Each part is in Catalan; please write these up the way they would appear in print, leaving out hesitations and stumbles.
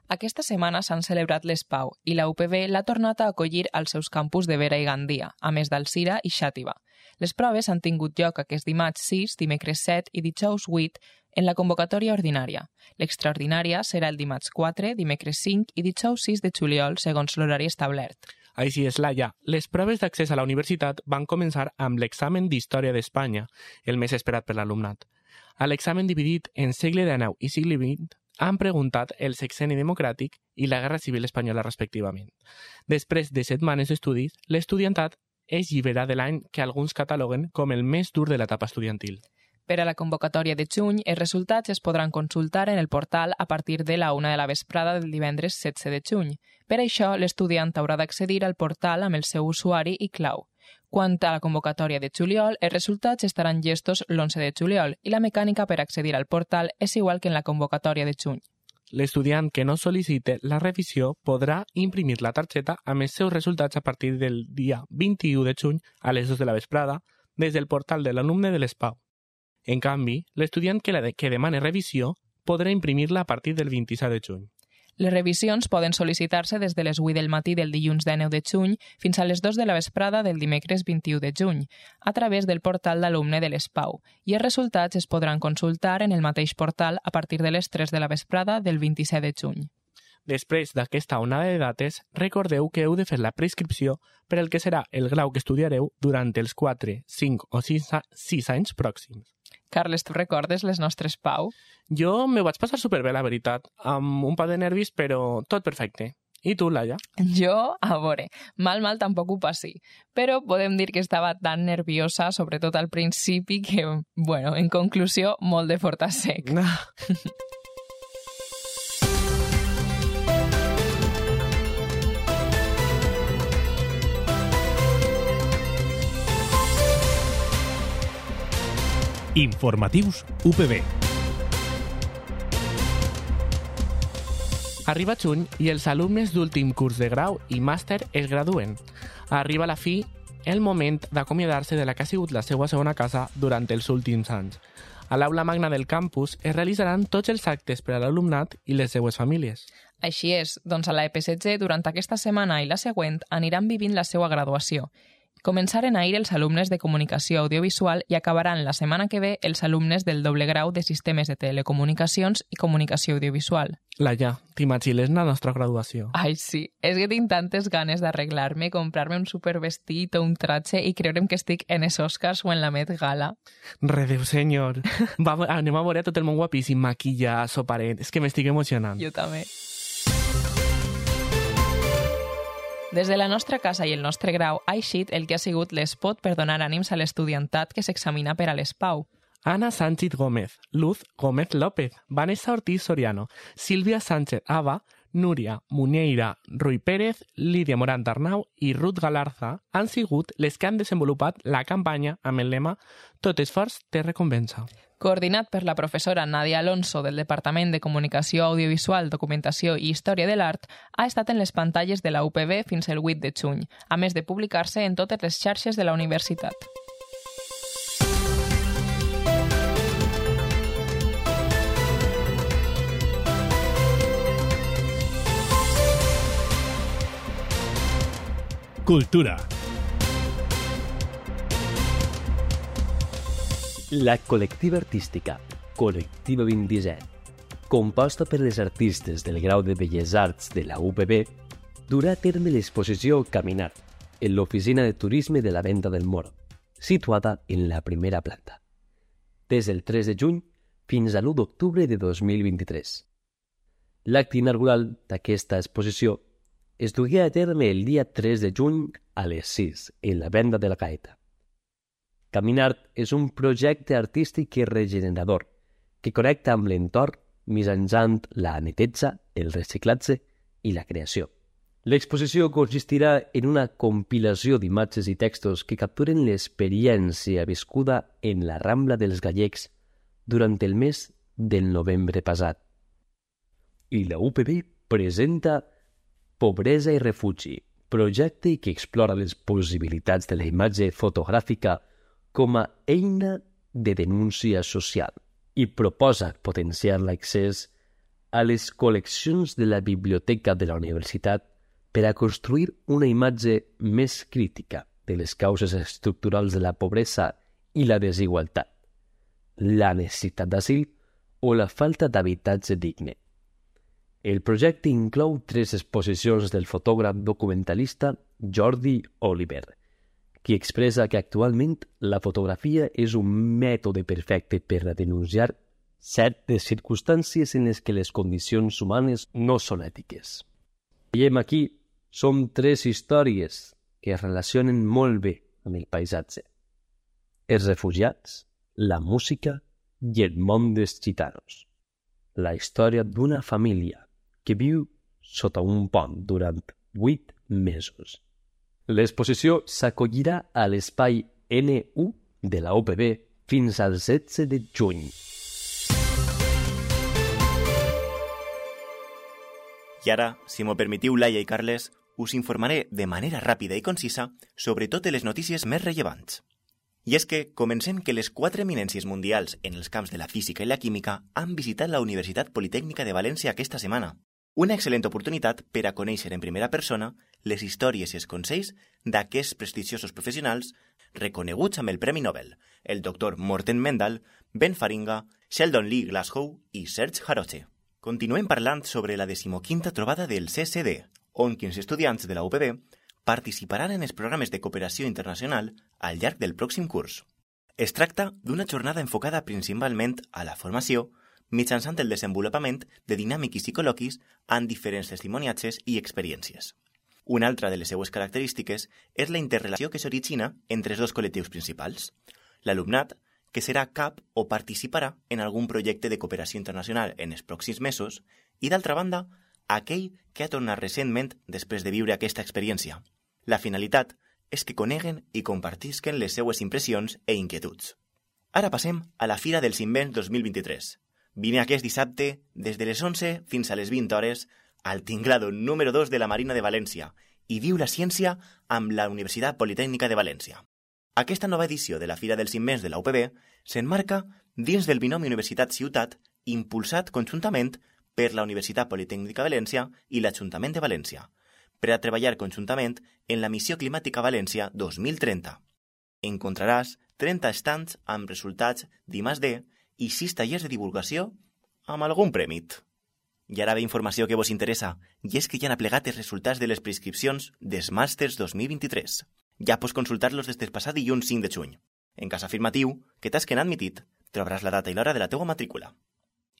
Aquesta setmana s'han celebrat les Pau i la UPB l'ha tornat a acollir als seus campus de Vera i Gandia, a més d'Alzira i Xàtiva. Les proves han tingut lloc aquest dimarts 6, dimecres 7 i dijous 8 en la convocatòria ordinària. L'extraordinària serà el dimarts 4, dimecres 5 i dijous 6 de juliol, segons l'horari establert. Així és, Laia. Les proves d'accés a la universitat van començar amb l'examen d'Història d'Espanya, el més esperat per l'alumnat. A l'examen dividit en segle XIX i segle XX, han preguntat el sexenni democràtic i la Guerra Civil Espanyola respectivament. Després de setmanes d'estudis, l'estudiantat és llibre de l'any que alguns cataloguen com el més dur de l'etapa estudiantil. Per a la convocatòria de juny, els resultats es podran consultar en el portal a partir de la 1 de la vesprada del divendres 16 de juny. Per això, l'estudiant haurà d'accedir al portal amb el seu usuari i clau. Quant a la convocatòria de juliol, els resultats estaran llestos l'11 de juliol i la mecànica per accedir al portal és igual que en la convocatòria de juny. L'estudiant que no sol·licite la revisió podrà imprimir la targeta amb els seus resultats a partir del dia 21 de juny a les 2 de la vesprada des del portal de l'alumne de l'ESPAU. En canvi, l'estudiant que demani revisió podrà imprimir-la a partir del 27 de juny. Les revisions poden sol·licitar-se des de les 8 del matí del dilluns 19 de juny fins a les 2 de la vesprada del dimecres 21 de juny, a través del portal d'alumne de l'ESPAU, i els resultats es podran consultar en el mateix portal a partir de les 3 de la vesprada del 27 de juny. Després d'aquesta onada de dates, recordeu que heu de fer la prescripció per al que serà el grau que estudiareu durant els 4, 5 o 6 anys pròxims. Carles, tu recordes les nostres Pau? Jo me vaig passar superbé, la veritat, amb un pa de nervis, però tot perfecte. I tu, Laia? Jo, a veure, mal tampoc ho passi, però podem dir que estava tan nerviosa, sobretot al principi, que, bueno, en conclusió, molt de fort a sec. Informatius UPB. Arriba juny i els alumnes d'últim curs de grau i màster es graduen. Arriba a la fi el moment d'acomiadar-se de la que ha sigut la seva segona casa durant els últims anys. A l'aula magna del campus es realitzaran tots els actes per a l'alumnat i les seues famílies. Així és, doncs a la EPSG durant aquesta setmana i la següent aniran vivint la seva graduació. Començaren ahir els alumnes de Comunicació Audiovisual i acabaran la setmana que ve els alumnes del doble grau de Sistemes de Telecomunicacions i Comunicació Audiovisual. Laia, t'imagines la nostra graduació? Ai, sí. És que tinc tantes ganes d'arreglar-me, comprar-me un supervestit o un tratge i creure'm que estic en els Oscars o en la Met Gala. Redeu, senyor. Anem a veure tot el món guapíssim, maquillat, soparet. És que m'estic emocionant. Jo també. Des de la nostra casa i el nostre grau ha eixit el que ha sigut l'espot per donar ànims a l'estudiantat que s'examina per a l'ESPAU. Ana Sánchez Gómez, Luz Gómez López, Vanessa Ortiz Soriano, Sílvia Sánchez Ava, Núria Muñeira Ruy Pérez, Lídia Morant Arnau i Ruth Galarza han sigut les que han desenvolupat la campanya amb el lema «Tot esforç té recompensa». Coordinat per la professora Nadia Alonso del Departament de Comunicació Audiovisual, Documentació i Història de l'Art, ha estat en les pantalles de la UPB fins el 8 de juny, a més de publicar-se en totes les xarxes de la universitat. Cultura. La col·lectiva artística Col·lectiva 27, composta per les artistes del grau de Belles Arts de la UPB, durà a terme l'exposició Caminar en l'oficina de turisme de la Venta del Moro, situada en la primera planta, des del 3 de juny fins a l'1 d'octubre de 2023. L'acte inaugural d'aquesta exposició es dugué a terme el dia 3 de juny a les 6 en la Venda de la Gaeta. Caminar és un projecte artístic i regenerador que connecta amb l'entorn mitjançant la neteja, el reciclatge i la creació. L'exposició consistirà en una compilació d'imatges i textos que capturen l'experiència viscuda en la Rambla dels Gallecs durant el mes del novembre passat. I la UPB presenta Pobresa i Refugi, projecte que explora les possibilitats de la imatge fotogràfica com a eina de denúncia social i proposa potenciar l'accés a les col·leccions de la biblioteca de la universitat per a construir una imatge més crítica de les causes estructurals de la pobresa i la desigualtat, la necessitat d'asil o la falta d'habitatge digne. El projecte inclou 3 exposicions del fotògraf documentalista Jordi Oliver, qui expressa que actualment la fotografia és un mètode perfecte per a denunciar certes circumstàncies en les que les condicions humanes no són ètiques. Veiem aquí, són 3 històries que es relacionen molt bé amb el paisatge. Els refugiats, la música i el món dels gitanos. La història d'una família que viu sota un pont durant 8 mesos. L'exposició s'acollirà a l'espai N1 de la UPB fins al 16 de juny. I ara, si m'ho permetiu, Laia i Carles, us informaré de manera ràpida i concisa sobre totes les notícies més rellevants. I és que comencem que les 4 eminències mundials en els camps de la física i la química han visitat la Universitat Politècnica de València aquesta setmana. Una excel·lent oportunitat per a conèixer en primera persona les històries i els consells d'aquests prestigiosos professionals reconeguts amb el Premi Nobel, el doctor Morten Mendel, Ben Faringa, Sheldon Lee Glashow i Serge Haroche. Continuem parlant sobre la 15ª trobada del CCD, on 15 estudiants de la UPB participaran en els programes de cooperació internacional al llarg del pròxim curs. Es tracta d'una jornada enfocada principalment a la formació mitjançant el desenvolupament de dinàmiques i col·loquis amb diferents testimoniatges i experiències. Una altra de les seues característiques és la interrelació que s'origina entre els 2 col·lectius principals, l'alumnat, que serà cap o participarà en algun projecte de cooperació internacional en els pròxims mesos, i d'altra banda, aquell que ha tornat recentment després de viure aquesta experiència. La finalitat és que coneguen i compartisquen les seues impressions i inquietuds. Ara passem a la Fira dels Invents 2023. Vine aquest dissabte des de les 11 fins a les 20 hores al tinglado número 2 de la Marina de València i viu la ciència amb la Universitat Politècnica de València. Aquesta nova edició de la Fira dels Invents de la UPB s'enmarca dins del binomi Universitat-Ciutat impulsat conjuntament per la Universitat Politècnica de València i l'Ajuntament de València, per a treballar conjuntament en la Missió Climàtica València 2030. Encontraràs 30 estands amb resultats d'I+D i 6 tallers de divulgació amb algun prèmit. I ara ve informació que vos interessa, i és que ja han aplegat els resultats de les prescripcions dels màsters 2023. Ja pots consultar-los des del passat dilluns 5 de juny. En cas afirmatiu, que t'has quedat admitit, trobaràs la data i l'hora de la teua matrícula.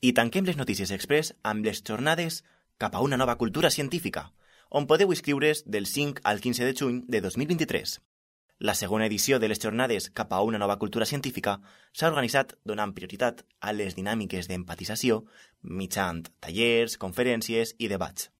I tanquem les notícies express amb les jornades cap a una nova cultura científica, on podeu inscriure's del 5 al 15 de juny de 2023. La segona edició de les jornades cap a una nova cultura científica s'ha organitzat donant prioritat a les dinàmiques d'empatització mitjançant tallers, conferències i debats.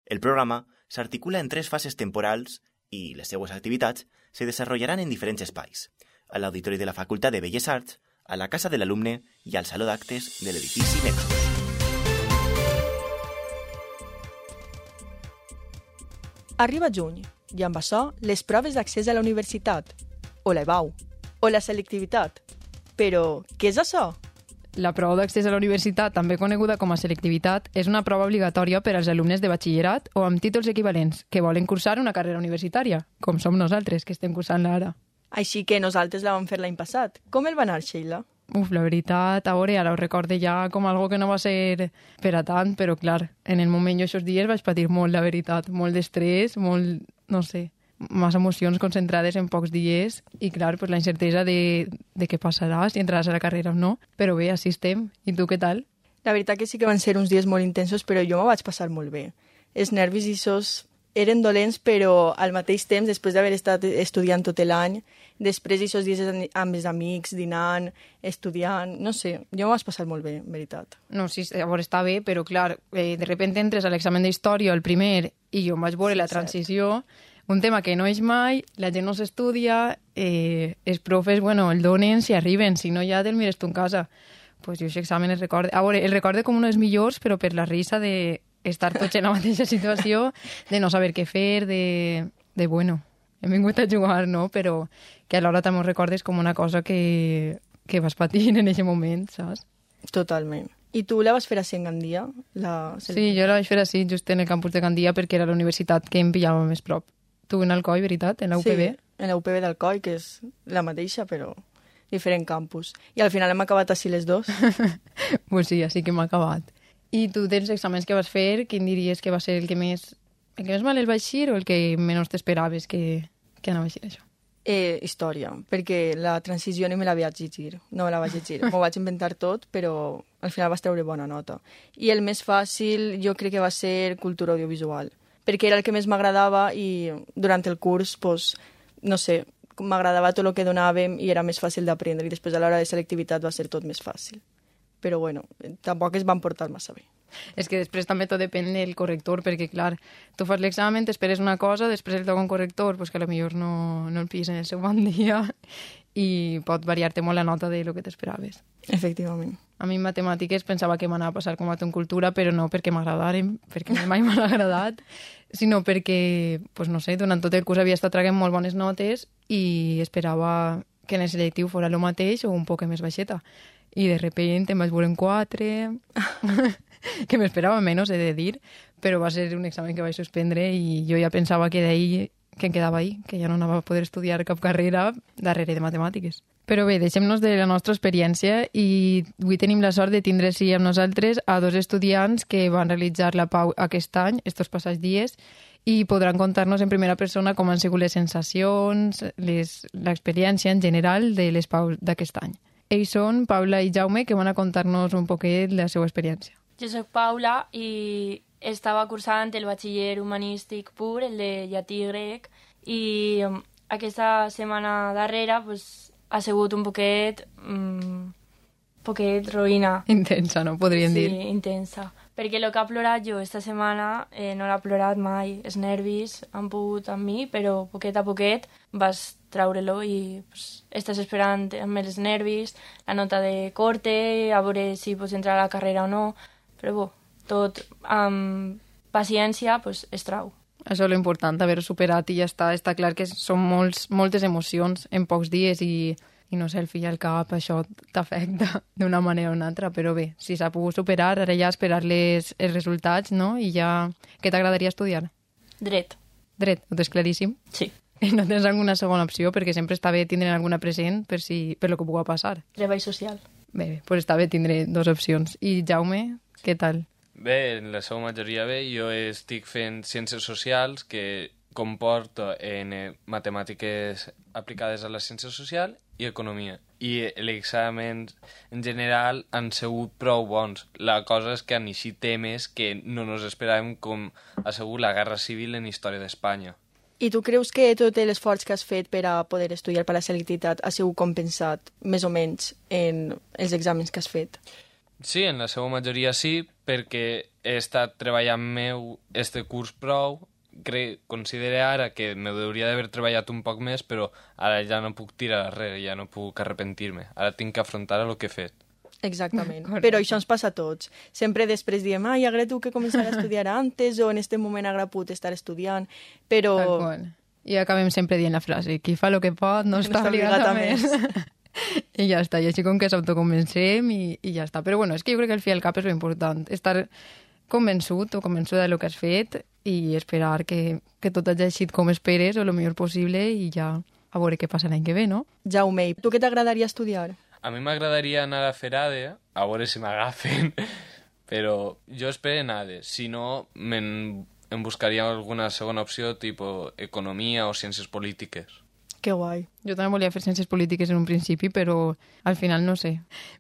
El programa s'articula en 3 fases temporals i les seues activitats se desenvoluparan en diferents espais, a l'Auditori de la Facultat de Belles Arts, a la Casa de l'Alumne i al Saló d'Actes de l'edifici Nexus. Arriba juny, i amb això les proves d'accés a la universitat, o la EBAU, o la selectivitat. Però, què és això? La prova d'accés a la universitat, també coneguda com a selectivitat, és una prova obligatòria per als alumnes de batxillerat o amb títols equivalents que volen cursar una carrera universitària, com som nosaltres, que estem cursant-la ara. Així que nosaltres la vam fer l'any passat. Com el va anar, Sheila? La veritat, a veure, ara ho recorde ja com algo que no va ser per a tant, però clar, en el moment jo aquests dies vaig patir molt, la veritat, molt d'estrès, molt, no sé, massa emocions concentrades en pocs dies i clar, pues la incertesa de què passarà, si entraràs a la carrera o no, però bé, així estem. I tu què tal? La veritat que sí que van ser uns dies molt intensos, però jo m'ho vaig passar molt bé. Els nervis i sos eren dolents, però al mateix temps, després d'haver estat estudiant tot l'any, després d'aquests dies amb els amics, dinant, estudiant, no sé, jo m'ho vaig passar molt bé, en veritat. No, sí, llavors està bé, però clar, de repente entres a l'examen d'història, el primer, i jo em vaig veure la transició, un tema que no és mai, la gent no s'estudia, els profes, bueno, el donen si arriben, si no ja te'l mires tu en casa. Pues jo aquest examen el recorde, el recorde com un dels millors, però per la risa de estar tots en la mateixa situació, de no saber què fer, de bueno, hem vingut a jugar, no? Però que alhora també ho recordes com una cosa que vas patir en aquest moment, saps? Totalment. I tu la vas fer així en Gandia? Sí, jo la vaig fer així, just en el campus de Gandia, perquè era la universitat que em pillava més prop. Tu en Alcoi, veritat? En la UPB? Sí, en la UPB d'Alcoi, que és la mateixa, però diferent campus. I al final hem acabat així les dos. Pues sí, així que hem acabat. I tu tens exàmens que vas fer, quin diries que va ser el que més mal el va eixir o el que menys t'esperaves que anava a eixir això? Història, perquè la transició ni me la vaig llegir, no me la vaig llegir. M'ho vaig inventar tot, però al final vas treure bona nota. I el més fàcil jo crec que va ser cultura audiovisual, perquè era el que més m'agradava i durant el curs, pues, no sé, m'agradava tot el que donàvem i era més fàcil d'aprendre i després a l'hora de selectivitat va ser tot més fàcil. Però bueno, tampoc es van portar massa bé. És que després també tot depèn del corrector, perquè, clar, tu fas l'examen, t'esperes una cosa, després el toca un corrector, pues que potser no el pilles en el seu bon dia i pot variar-te molt la nota de lo que t'esperaves. Efectivament. A mi en matemàtiques pensava que m'anava a passar com a tu en cultura, però no perquè m'agradaren, perquè mai m'ha agradat, sinó perquè, pues no sé, durant tot el curs havia estat traient molt bones notes i esperava que en el selectiu fora el mateix o un poc més baixeta. I de repente em vaig veure en 4, que m'esperava menys, he de dir, però va ser un examen que vaig suspendre i jo ja pensava que d'ahir, que em quedava ahí, que ja no anava a poder estudiar cap carrera darrere de matemàtiques. Però bé, deixem-nos de la nostra experiència i avui tenim la sort de tindre així amb nosaltres a 2 estudiants que van realitzar la PAU aquest any, estos passats dies, i podran contar-nos en primera persona com han sigut les sensacions, l'experiència en general de les PAUs d'aquest any. Ells són Paula i Jaume, que van a contar-nos un poquet la seva experiència. Jo soc Paula i estava cursant el batxiller humanístic pur, el de llatí i grec, i aquesta setmana darrera pues, ha sigut un poquet roïna. Intensa, no? Podríem dir. Sí, intensa. Perquè el que ha plorat jo esta setmana no l'ha plorat mai. Els nervis han pogut amb mi, però poquet a poquet vas treure-lo i pues, estàs esperant amb els nervis, la nota de corte, a veure si pots entrar a la carrera o no, però bo, tot amb paciència pues, es trau. Això és l'important, haver-ho superat i ja està. Està clar que són moltes emocions en pocs dies i no sé, el fill al cap, això t'afecta d'una manera o una altra, però bé, si s'ha pogut superar, ara ja esperar els resultats, no? I ja... Què t'agradaria estudiar? Dret. Dret, ho tens claríssim? Sí. I no tens alguna segona opció, perquè sempre està bé tindre alguna present per lo que pugui passar. Treball social. Bé, doncs està bé tindre 2 opcions. I Jaume, què tal? Bé, en la seva majoria bé. Jo estic fent ciències socials, que comporta en matemàtiques aplicades a la ciència social i economia. I els exàmens en general han sigut prou bons. La cosa és que han eixit temes que no ens esperàvem, com ha sigut la Guerra Civil en història d'Espanya. I tu creus que tot l'esforç que has fet per a poder estudiar per la selectivitat ha sigut compensat, més o menys, en els exàmens que has fet? Sí, en la seva majoria sí, perquè he estat treballant meu este curs prou. Considero ara que m'hauria d'haver treballat un poc més, però ara ja no puc tirar darrere, ja no puc arrepentir-me. Ara tinc que afrontar el que he fet. Exactament, però això ens passa a tots. Sempre després diem, ai, agra tu que començar a estudiar antes o en este moment agra put estar estudiant, però... I acabem sempre dient la frase, qui fa el que pot no està obligat a més. I ja està, i així com que s'autoconvencem i ja està. Però bueno, és que jo crec que al fi al cap és important, estar convençut o convençuda del que has fet i esperar que tot hagi eixit com esperes o el millor possible i ja a veure què passa l'any que ve, no? Jaume, tu què t'agradaria estudiar? A mi m'agradaria anar a fer ADE, a veure si m'agafen, però jo espero en ADE. Si no, em buscaria alguna segona opció, tipus economia o ciències polítiques. Que guai. Jo també volia fer ciències polítiques en un principi, però al final no sé.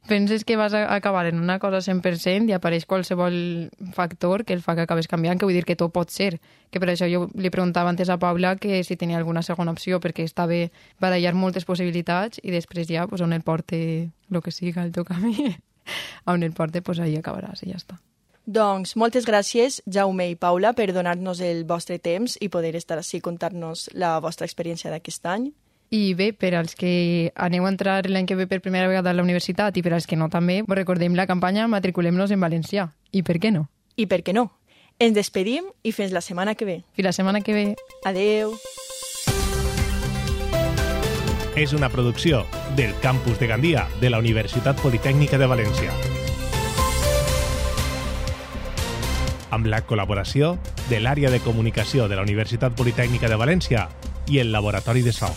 Penses que vas a acabar en una cosa 100% i apareix qualsevol factor que el fa que acabes canviant, que vull dir que tot pot ser. Que per això jo li preguntava antes a Paula que si tenia alguna segona opció, perquè està bé barallar moltes possibilitats i després ja, pues, on el porte el que siga el teu camí, on el porte, pues, ahí acabaràs i ja està. Doncs moltes gràcies, Jaume i Paula, per donar-nos el vostre temps i poder estar així contar-nos la vostra experiència d'aquest any. I bé, per als que aneu a entrar l'any que ve per primera vegada a la universitat i per als que no també, vos recordem la campanya Matriculem-nos en Valencià. I per què no? I per què no? Ens despedim i fins la setmana que ve. Fins la setmana que ve. Adeu. És una producció del Campus de Gandia de la Universitat Politècnica de València. amb la col·laboració de l'àrea de comunicació de la Universitat Politècnica de València i el Laboratori de So.